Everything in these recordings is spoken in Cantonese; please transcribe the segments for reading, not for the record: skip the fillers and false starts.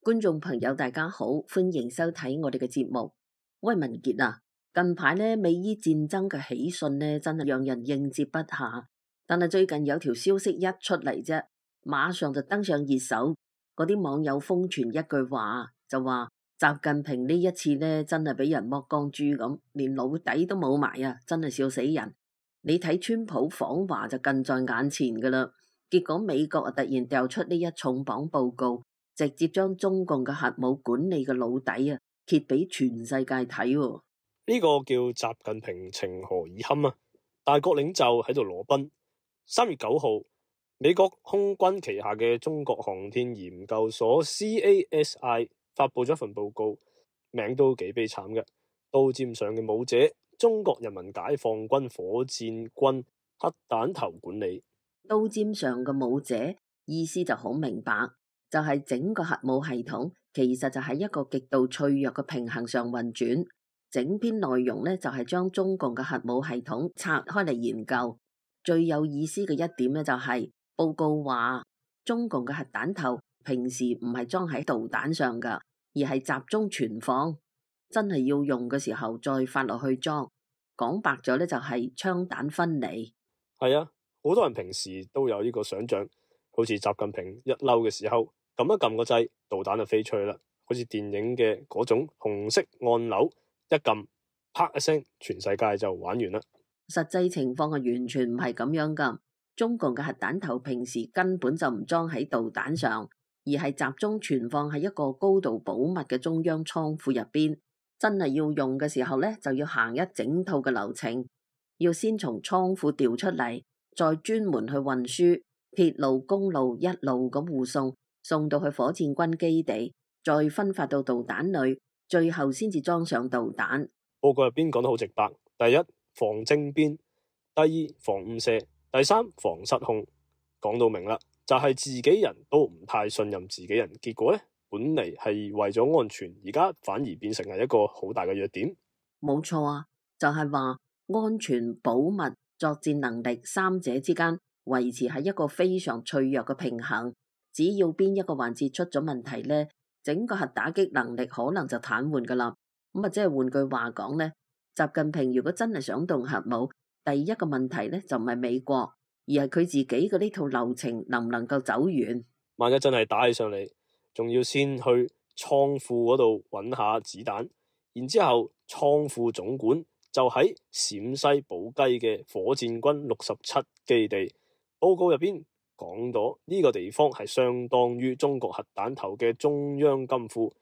觀眾朋友大家好，歡迎收睇我哋嘅節目。喂，文傑啊，近排呢美伊戰爭嘅喜訊呢，真係讓人應接不暇。但係最近有條消息一出嚟啫，馬上就登上熱搜。嗰啲網友瘋傳一句話，就話習近平呢一次呢，真係俾人剝光豬咁，連老底都冇埋啊！真係笑死人。你睇川普訪華就近在眼前噶啦，結果美國啊突然掉出呢一重磅報告。直接將中共嘅核武管理嘅老底啊揭俾全世界睇。呢個叫習近平情何以堪啊！大國領袖喺度裸奔。3月9號，美國空軍旗下嘅中國航天研究所 CASI 發佈咗一份報告，名都幾悲慘嘅。刀尖上嘅武者，中國人民解放軍火箭軍核彈頭管理。刀尖上嘅武者意思就好明白。就係整個核武系統，其實就喺一個極度脆弱嘅平衡上運轉。整篇內容呢，就係將中共嘅核武系統拆開嚟研究。最有意思嘅一點呢，就係報告話，中共嘅核彈頭平時唔係裝喺導彈上噶，而係集中存放，真係要用嘅時候再發落去裝。講白咗呢，就係槍彈分離。係啊，好多人平時都有呢個想象，好似習近平一嬲嘅時候，撳一撳個掣，導彈就飛出去啦，好似電影嘅嗰種紅色按鈕，一撳，啪一聲，全世界就玩完啦。實際情況係完全唔係咁樣噶。中共嘅核彈頭平時根本就唔裝喺導彈上，而係集中存放喺一個高度保密嘅中央倉庫入邊。真係要用嘅時候呢，就要行一整套嘅流程，要先從倉庫調出嚟，再專門去運輸，鐵路、公路一路咁護送到去火箭軍基地，再分發到導彈裏，最後先至裝上導彈。報告入邊講得好直白：第一，防政變；第二，防誤射；第三，防失控。講到明啦，就係自己人都唔太信任自己人，結果呢，本嚟係為咗安全，而家反而變成係一個好大嘅弱點。冇錯啊，就係話安全、保密、作戰能力三者之間維持喺一個非常脆弱嘅平衡。只要邊一個環節出咗問題呢，整個核打擊能力可能就癱瘓噶啦。咁啊，即係換句話講呢，習近平如果真係想動核武，第一個問題呢就唔係美國，而係佢自己嘅呢套流程能唔能夠走完。萬一真係打起上嚟，仲要先去倉庫嗰度揾下子彈，然之後倉庫總管就喺陝西寶雞嘅火箭軍67基地。報告入邊講到呢個地方係相當於中國核彈頭嘅中央金庫，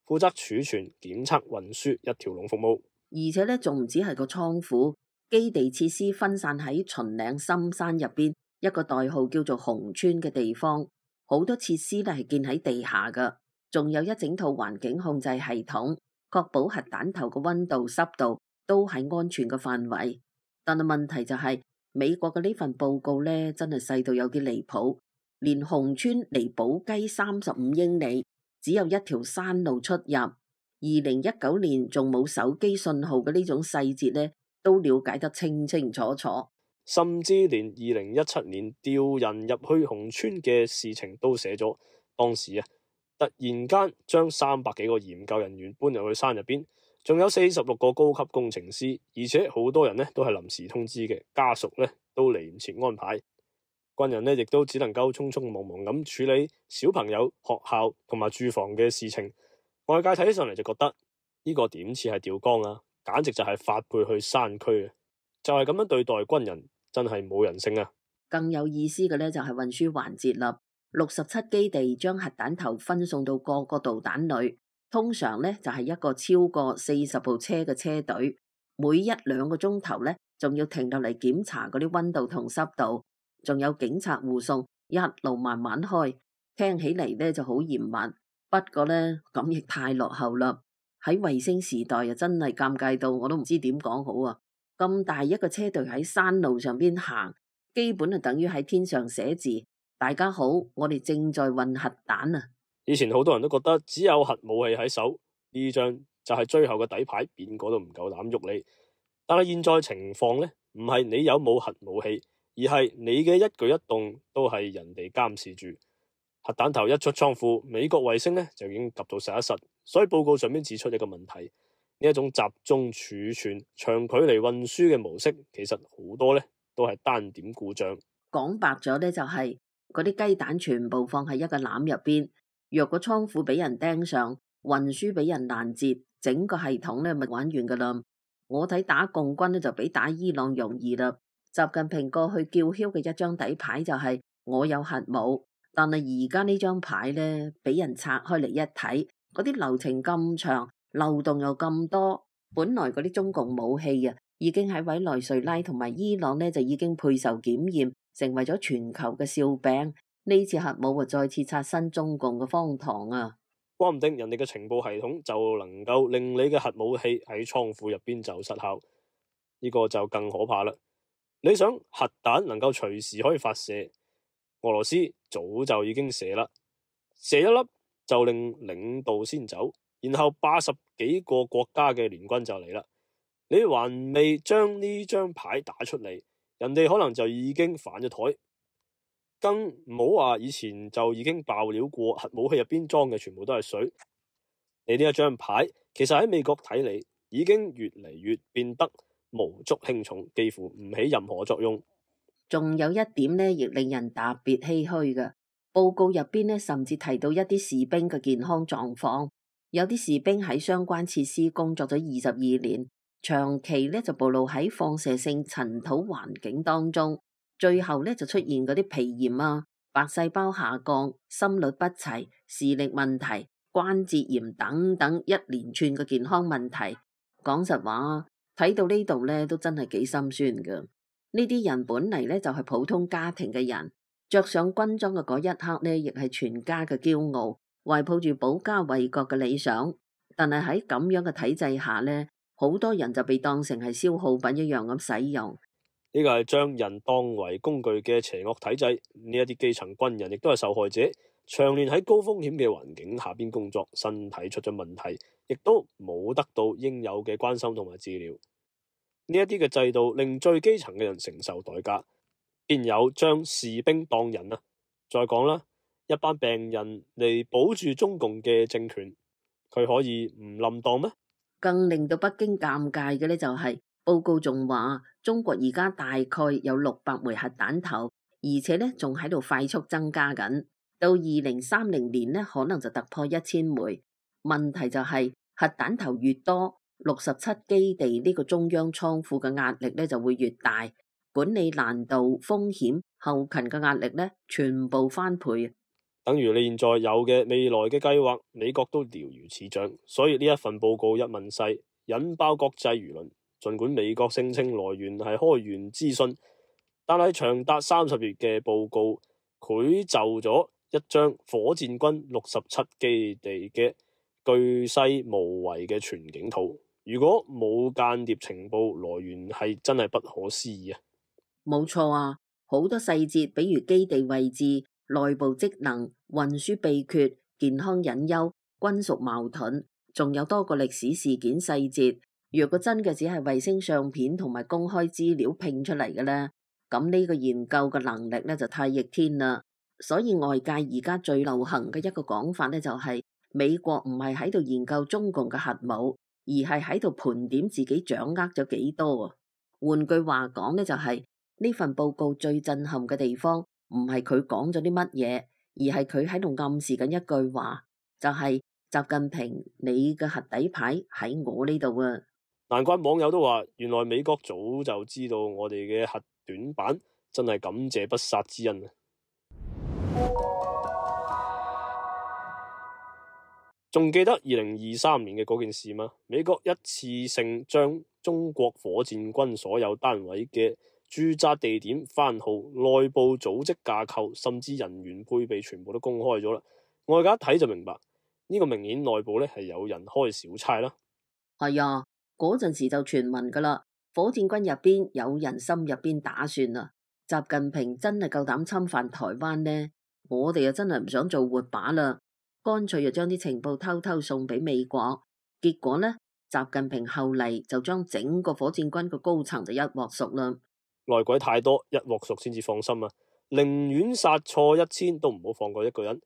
負責儲存、檢測、運輸一條龍服務。而且呢，仲唔止係個倉庫，基地設施分散喺秦嶺深山入邊一個代號叫做紅村嘅地方，好多設施呢係建喺地下噶，仲有一整套環境控制系統，確保核彈頭嘅溫度、濕度都係安全嘅範圍。但係問題就係，美國嘅呢份報告呢，真係細到有啲離譜，連紅村離寶雞35英里，只有一條山路出入。2019年仲冇手機信號嘅呢種細節呢，都了解得清清楚楚。甚至連2017年調人入去紅村嘅事情都寫咗。當時啊，突然間將300幾個研究人員搬入去山入邊，仲有46個高級工程師，而且好多人呢都係臨時通知嘅，家屬呢都嚟唔切安排。軍人呢亦都只能夠匆匆忙忙咁處理小朋友、學校同埋住房嘅事情。外界睇起上嚟就覺得呢個點似係調崗啊，簡直就係發配去山區啊！就係咁樣對待軍人，真係冇人性啊！更有意思嘅呢，就係運輸環節啦。67基地將核彈頭分送到各個導彈裏，通常呢就係一個超過40部車嘅車隊，每1-2個鐘頭呢仲要停落嚟檢查嗰啲溫度同濕度，仲有警察護送，一路慢慢開，聽起嚟呢就好嚴密。不過呢，咁亦太落後啦！喺衛星時代啊，真係尷尬到我都唔知點講好啊！咁大一個車隊喺山路上邊行，基本就等於喺天上寫字：大家好，我哋正在運核彈啊！以前好多人都覺得只有核武器喺手，呢張就係最後嘅底牌，邊個都唔夠膽喐你。但係現在情況呢，唔係你有冇核武器，而係你嘅一舉一動都係人哋監視住。核彈頭一出倉庫，美國衛星呢就已經及到實一實，所以報告上面指出一個問題：呢一種集中儲存、長距離運輸嘅模式，其實好多呢都係單點故障。講白咗呢，就係嗰啲雞蛋全部放喺一個籃入邊，若果倉庫俾人盯上，運輸俾人攔截，整個系統呢咪玩完噶啦。我睇打共軍呢就比打伊朗容易啦。習近平過去叫囂嘅一張底牌就係我有核武，但係而家呢張牌呢，俾人拆開嚟一睇，嗰啲流程咁長，漏洞又咁多。本來嗰啲中共武器啊，已經喺委內瑞拉同埋伊朗呢就已經配受檢驗，成為咗全球嘅笑柄。呢次核武啊，再次刷新中共嘅荒唐啊！話唔定人哋嘅情報系統就能夠令你嘅核武器喺倉庫入邊就失效，呢個就更可怕啦。你想核彈能夠隨時可以發射，俄羅斯早就已經射啦，射一粒就令領導先走，然後80幾個國家嘅聯軍就嚟啦。你還未將呢張牌打出嚟，人哋可能就已經反咗台。更唔好話以前就已經爆料過核武器入邊裝嘅全部都係水。你呢一張牌其實喺美國睇嚟已經越嚟越變得無足輕重，幾乎唔起任何作用。仲有一點呢，亦令人特別唏噓嘅。報告入邊呢，甚至提到一啲士兵嘅健康狀況。有啲士兵喺相關設施工作咗22年，長期呢就暴露喺放射性塵土環境當中，最後呢就出現嗰啲皮炎啊、白細胞下降、心律不齊、視力問題、關節炎等等一連串嘅健康問題。講實話，睇到呢度呢都真係幾心酸㗎。呢啲人本嚟呢就係普通家庭嘅人，着上軍裝嘅嗰一刻呢，亦係全家嘅驕傲，懷抱住保家衛國嘅理想。但係喺咁樣嘅體制下呢，好多人就被當成係消耗品一樣咁使用。呢個係將人當為工具嘅邪惡體制。呢一啲基層軍人亦都係受害者，長年喺高風險嘅環境下邊工作，身體出咗問題，亦都冇得到應有嘅關心同埋治療。呢一啲嘅制度令最基層嘅人承受代價，邊有將士兵當人啊？再講啦，一班病人嚟保住中共嘅政權，佢可以唔冧當咩？更令到北京尷尬嘅呢，就係報告仲話中國而家大概有600枚核彈頭，而且呢仲喺度快速增加緊，到2030年呢可能就突破1000枚。問題就係核彈頭越多，67基地呢個中央倉庫嘅壓力呢就會越大，管理難度、風險、後勤嘅壓力呢全部翻倍。等於你現在有嘅未來嘅計劃，美國都了如指掌。所以呢一份報告一問世，引爆國際輿論。儘管美國聲稱來源係開源資訊，但係長達30頁嘅報告繪就咗一張火箭軍67基地嘅巨細無遺嘅全景圖。如果冇間諜情報來源，係真係不可思議啊！冇錯啊，好多細節，比如基地位置、內部職能、運輸秘訣、健康隱憂、軍屬矛盾，仲有多個歷史事件細節。若果真嘅只係衛星相片同埋公開資料拼出嚟嘅呢，咁呢個研究嘅能力呢就太逆天啦。所以外界而家最流行嘅一個講法呢，就係美國唔係喺度研究中共嘅核武，而係喺度盤點自己掌握咗幾多啊。換句話講呢，就係呢份報告最震撼嘅地方，唔係佢講咗啲乜嘢，而係佢喺度暗示緊一句話，就係習近平，你嘅核底牌喺我呢度啊！難怪網友都話，原來美國早就知道我哋嘅核短板，真係感謝不殺之恩啊！仲記得2023年嘅嗰件事嗎？美國一次性將中國火箭軍所有單位嘅駐紮地點、番號、內部組織架構，甚至人員配備全部都公開咗啦。外界一睇就明白，呢個明顯內部呢係有人開小差啦。係啊。嗰陣時就傳聞噶啦，火箭軍入邊有人心入邊打算啦。習近平真係夠膽侵犯台灣呢？我哋又真係唔想做活靶啦，乾脆就將啲情報偷偷送俾美國。結果呢，習近平後嚟就將整個火箭軍嘅高層就一鑊熟啦。內鬼太多，一鑊熟先至放心啊！寧願殺錯1000都唔好放過一個人。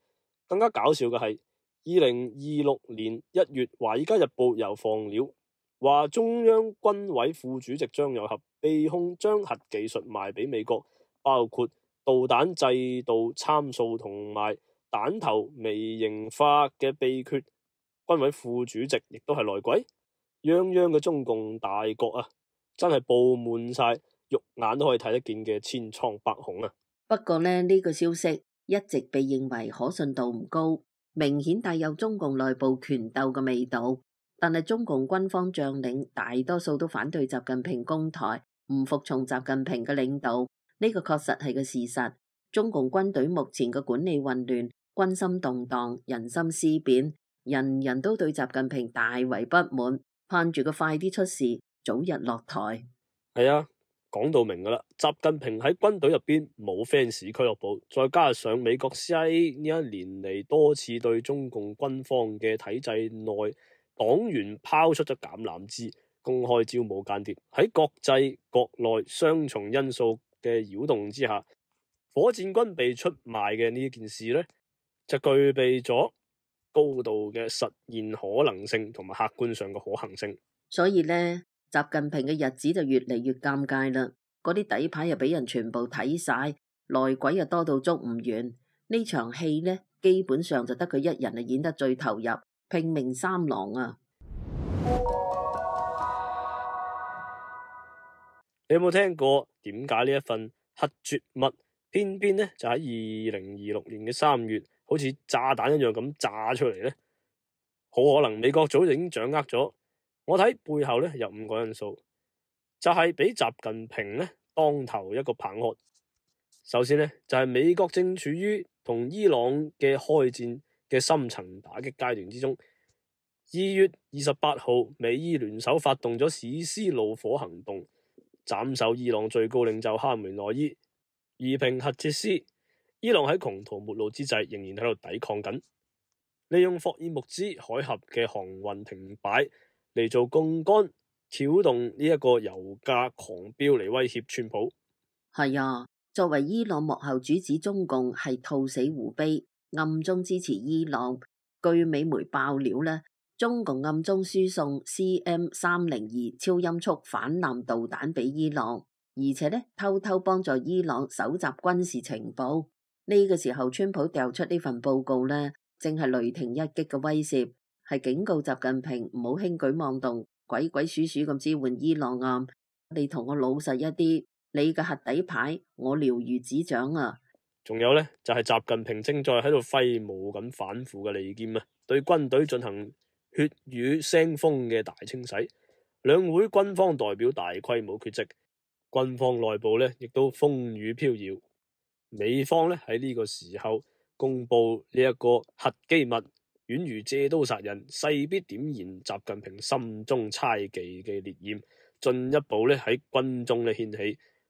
更加搞笑嘅係2026年1月，《華爾街日報》又放料話中央軍委副主席張又俠被控將核技術賣俾美國，包括導彈制導參數同埋彈頭微型化嘅秘訣。軍委副主席亦都係內鬼，泱泱嘅中共大國啊，真係布滿晒肉眼都可以睇得見嘅千瘡百孔啊！不過呢個消息一直被認為可信度唔高，明顯帶有中共內部權鬥嘅味道。但係中共軍方將領大多數都反對習近平攻台，唔服從習近平嘅領導，呢個確實係個事實。中共軍隊目前嘅管理混亂，軍心動盪，人心思變，人人都對習近平大為不滿，盼住佢快啲出事，早日落台。係啊，講到明噶啦，習近平喺軍隊入邊冇 fans 俱樂部，再加上美國 CIA 呢一年嚟多次對中共軍方嘅體制內黨員拋出咗橄欖枝，公開招募間諜，喺國際國內雙重因素嘅擾動之下，火箭軍被出賣嘅呢件事呢，就具備咗高度嘅實現可能性同埋客觀上嘅可行性。所以呢，習近平嘅日子就越嚟越尷尬啦。嗰啲底牌又俾人全部睇晒，內鬼又多到捉唔完。呢場戲呢，基本上就得佢一人係演得最投入，拼命三郎啊！你有冇聽過點解呢一份核絕密偏偏呢就喺2026年嘅3月，好似炸彈一樣咁炸出嚟呢？好可能美國早就已經掌握咗。我睇背後呢有5個因素，就係俾習近平呢當頭一個棒喝。首先呢，就係美國正處於同伊朗嘅開戰嘅深層打擊階段之中。2月28號，美伊聯手發動咗史詩怒火行動，斬首伊朗最高領袖哈梅內伊，夷平核設施。伊朗喺窮途末路之際，仍然喺度抵抗緊，利用霍爾木茲海峽嘅航運停擺嚟做槓桿，挑動呢一個油價狂飆嚟威脅川普。係啊，作為伊朗幕後主子，中共係兔死狐悲，暗中支持伊朗。據美媒爆料呢，中共暗中輸送 CM302超音速反艦導彈俾伊朗，而且呢偷偷幫助伊朗搜集軍事情報。呢個時候，川普掉出呢份報告呢，正係雷霆一擊嘅威懾，係警告習近平唔好輕舉妄動，鬼鬼祟祟咁支援伊朗啊！你同我老實一啲，你嘅核底牌我了如指掌啊！仲有呢，就係習近平正在喺度揮舞緊反腐嘅利劍啊，對軍隊進行血雨腥風嘅大清洗。兩會軍方代表大規模缺席，軍方內部呢亦都風雨飄搖。美方呢喺呢個時候公布呢一個核機密，宛如借刀殺人，勢必點燃習近平心中猜忌嘅烈焰，進一步呢喺軍中呢掀起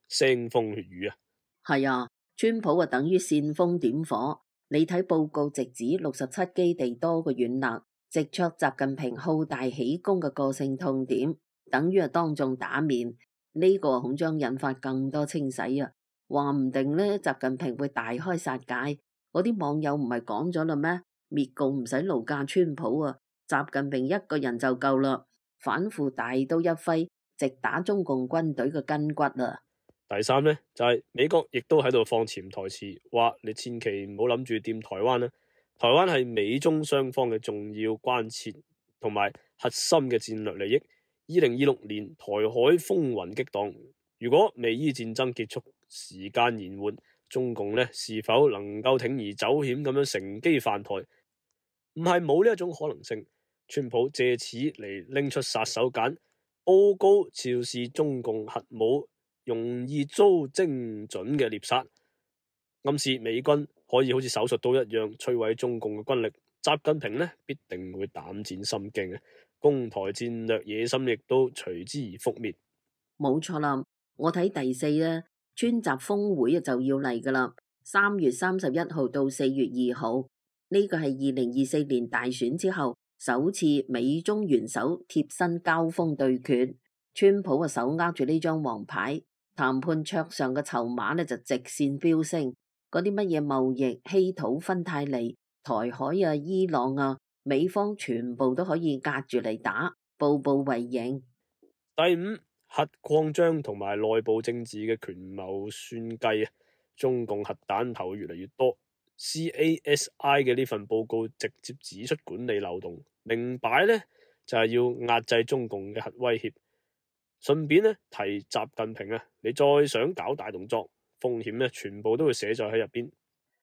腥風血雨啊！係啊，川普啊等於煽風點火。你睇報告直指67基地多個軟肋，直戳習近平好大喜功嘅個性痛點，等於係當眾打面。呢個恐將引發更多清洗啊！話唔定呢，習近平會大開殺戒。嗰啲網友唔係講咗啦咩？滅共唔使勞駕川普啊，習近平一個人就夠啦。反腐大刀一揮，直打中共軍隊嘅筋骨啊！第三呢，就係美國亦都喺度放潛台詞，話你千祈唔好諗住掂台灣啦。台灣係美中雙方嘅重要關切同埋核心嘅戰略利益。2026年台海風雲激盪，如果美伊戰爭結束時間延緩，中共呢是否能夠鋌而走險咁樣乘機犯台？唔係冇呢一種可能性。川普借此嚟拎出殺手鐧，報告昭示中共核武容易遭精準嘅獵殺，暗示美軍可以好似手術刀一樣摧毀中共嘅軍力。習近平呢必定會膽戰心驚嘅，攻台戰略野心亦都隨之而覆滅。冇錯啦，我睇第4呢，川習峰會就要嚟噶啦，3月31號到4月2號，呢個係2024年大選之後首次美中元首貼身交鋒對決。川普啊手握住呢張王牌，談判桌上嘅籌碼呢就直線飆升，嗰啲乜嘢貿易、稀土、芬太尼、台海啊、伊朗啊，美方全部都可以隔住嚟打，步步為營。第五，核擴張同埋內部政治嘅權謀算計啊，中共核彈頭越嚟越多。CASI 嘅呢份報告直接指出管理漏洞，明擺呢就係要壓制中共嘅核威脅。順便呢提習近平啊，你再想搞大動作，風險呢全部都會寫在喺入邊。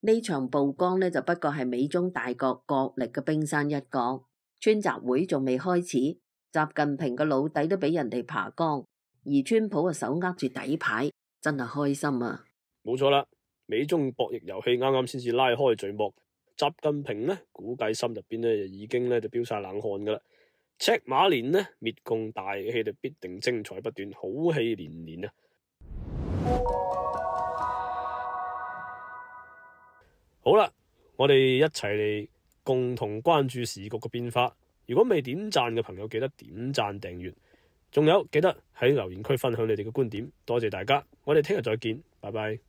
呢場曝光呢，就不過係美中大國角力嘅冰山一角，川習會仲未開始，習近平個老底都俾人哋爬光，而川普嘅手握住底牌，真係開心啊！冇錯啦，美中博弈遊戲啱啱先至拉開序幕，習近平呢估計心入邊呢已經呢就飆晒冷汗噶啦。赤馬年呢滅共大戲就必定精彩不斷，好戲連連啊！好啦，我哋一齊嚟共同關注時局嘅變化。如果未點讚嘅朋友，記得點讚訂閱，仲有記得喺留言區分享你哋嘅觀點。多謝大家，我哋聽日再見，拜拜。